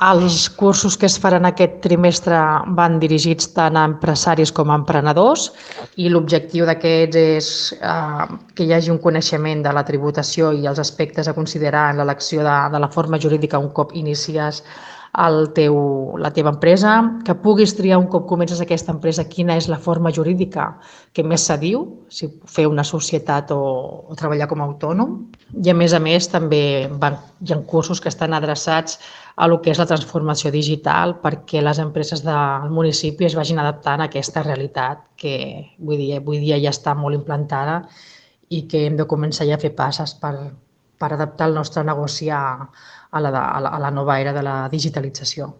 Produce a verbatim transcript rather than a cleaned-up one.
Els cursos que es faran aquest trimestre van dirigits tant a empresaris com a emprenedors i l'objectiu d'aquests és eh, que hi hagi un coneixement de la tributació i els aspectes a considerar en l'elecció de, de la forma jurídica un cop inicies el teu, la teva empresa, que puguis triar un cop comences aquesta empresa quina és la forma jurídica que més s'adiu, si fer una societat o, o treballar com a autònom. I a més a més també van, hi ha cursos que estan adreçats a el que és la transformació digital perquè les empreses del municipi es vagin adaptant a aquesta realitat que vull dir, avui dia ja està molt implantada i que hem de començar ja a fer passes per, per adaptar el nostre negoci a, a, la, a, la, a la nova era de la digitalització.